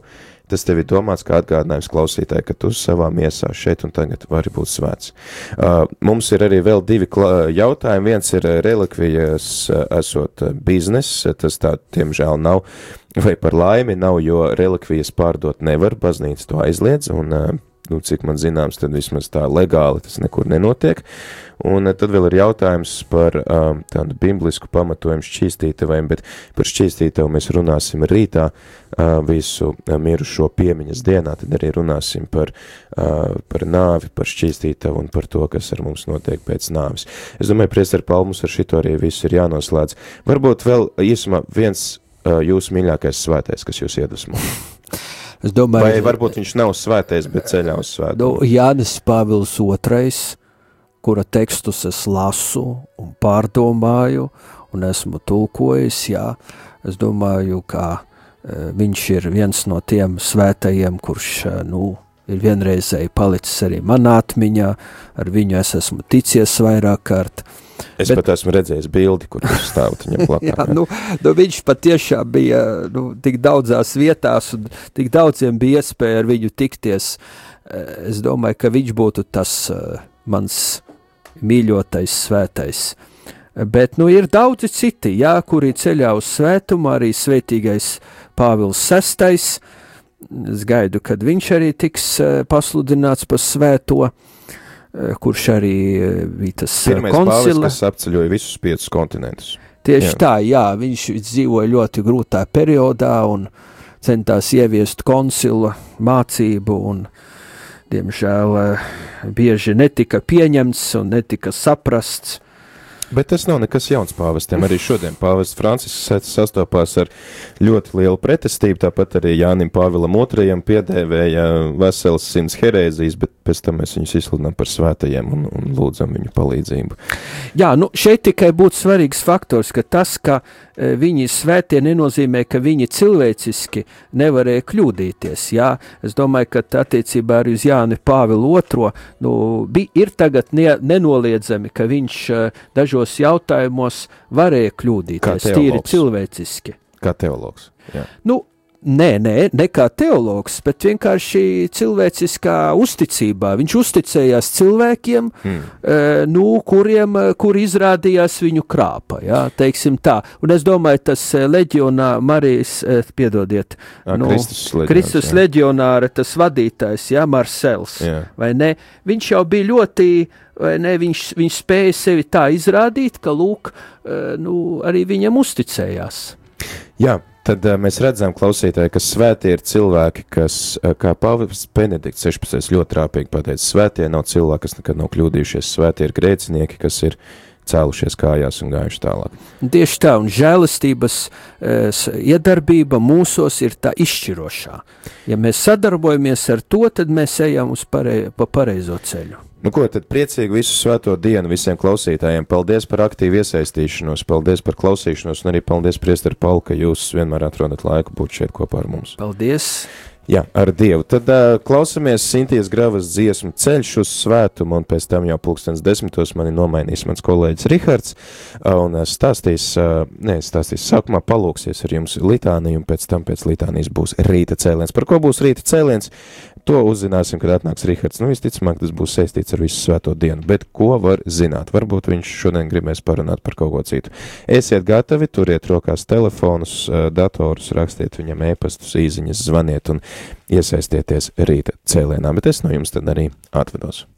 Tas tev ir domāts kā atgādinājums klausītāji, ka tu savā miesā šeit un tagad vari būt svēts. Uh, mums ir arī vēl divi jautājumi. Viens ir relikvijas uh, esot biznes, tas tā, tiemžēl, nav, vai par laimi nav, jo relikvijas pārdot nevar, baznīca to aizliedz, un, uh, nu, cik man zināms, tad vismaz tā legāli tas nekur nenotiek. Un uh, tad vēl ir jautājums par uh, tādu biblisku pamatojumu šķīstītaviem, bet par šķīstītavu mēs runāsim rītā uh, visu uh, mirušo piemiņas dienā, tad arī runāsim par, uh, par nāvi, par šķīstītavu un par to, kas ar mums notiek pēc nāvis. Es domāju, priesteri Paul, mums ar šito arī visu ir jānoslēdz. Varbūt vēl īsumā viens uh, jūsu mīļākais svētais, kas jūs iedvesmo. Es domāju, vai varbūt viņš nav svētais, bet ceļā uz svētumu? Nu, Jānis Pāvils otrais, kura tekstus es lasu un pārdomāju un esmu tulkojis, jā, es domāju, ka e, viņš ir viens no tiem svētajiem, kurš, e, nu, ir vienreizēji palicis arī manā atmiņā, ar viņu es esmu ticies vairāk kārt. Es bet, pat esmu redzējis bildi, kur viņš stāvot viņam blakā. Jā, nu, nu, viņš patiešām bija, nu, tik daudzās vietās un tik daudziem bija iespēja ar viņu tikties. Es domāju, ka viņš būtu tas uh, mans mīļotais svētais. Bet, nu, ir daudzi citi, jā, kuri ceļā uz svētumu, arī svētīgais Pāvils sestais. Es gaidu, kad viņš arī tiks uh, pasludināts par svēto, kurš arī bija tas Pirmais koncila. Pāvils, kas apceļoja visus piecus kontinentus. Tieši jā. tā, jā, viņš dzīvoja ļoti grūtā periodā un centās ieviest koncila mācību un, diemžēl, bieži netika pieņemts un netika saprasts. Bet tas nav nekas jauns pāvestiem. Arī šodien pāvests Francisks sastopās ar ļoti lielu pretestību, tāpat arī Jānim Pāvilam otrajam piedēvēja veselas simts herēzijas, bet pēc tam mēs viņus izsludinām par svētajiem un, un lūdzam viņu palīdzību. Jā, nu šeit tikai būtu svarīgs faktors, ka tas, ka e, viņi svētie nenozīmē, ka viņi cilvēciski nevarēja kļūdīties, jā. Es domāju, ka attiecībā arī uz Jāni Pāvilu otro, nu, bi, ir tagad ne, nenoliedzami, ka viņš e, dažos jautājumos varēja kļūdīties, tīri cilvēciski. Kā teologs, jā. Nu, Nē, nē, ne kā teologs, bet vienkārši cilvēciskā uzticībā. Viņš uzticējās cilvēkiem, mm. e, nu, kuriem, kur izrādījās viņu krāpa, jā, teiksim tā. Un es domāju, tas leģionā Marijas, e, piedodiet, A, nu, Kristus, leģionārs, Kristus leģionāra, tas vadītājs, jā, Marsels, jā. Vai ne? Viņš jau bija ļoti, vai ne, viņš, viņš spēja sevi tā izrādīt, ka, lūk, e, nu, arī viņam uzticējās. Jā. Tad uh, mēs redzam, klausītāji, ka svētie ir cilvēki, kas, uh, kā Pāvests Benedikts sešpadsmitais ļoti rāpīgi pateica, svētie nav cilvēki, kas nekad nav kļūdījušies, svētie ir grēcinieki, kas ir cēlušies kājās un gājuši tālāk. Tieši tā, un žēlistības e, iedarbība mūsos ir tā izšķirošā. Ja mēs sadarbojamies ar to, tad mēs ejam uz parei, pa pareizo ceļu. Nu ko, tad priecīgu visu svēto dienu visiem klausītājiem. Paldies par aktīvu iesaistīšanos, paldies par klausīšanos un arī paldies, priesteri Paul, ka jūs vienmēr atrodat laiku būt šeit kopā ar mums. Paldies! Jā, ar Dievu. Tad uh, klausamies Sintijas Gravas dziesmu Ceļš uz svētumu, un pēc tam jau pulkstens desmitos mani nomainīs mans kolēģis Rihards, uh, un stāstīs, uh, ne, stāstīs, sākumā palūksies ar jums litāniju, un pēc tam pēc litānijas būs rīta cēliens. Par ko būs rīta cēliens? To uzzināsim, kad atnāks Rihards. Nu, visticamāk, tas būs saistīts ar visu svēto dienu, bet ko var zināt? Varbūt viņš šodien gribēs parunāt par kaut ko citu. Esiet gatavi, turiet rokās telefonus, datorus, rakstiet viņam ēpastus, īziņas, zvaniet un iesaistieties rīta cēlienā, bet es no jums tad arī atvedos.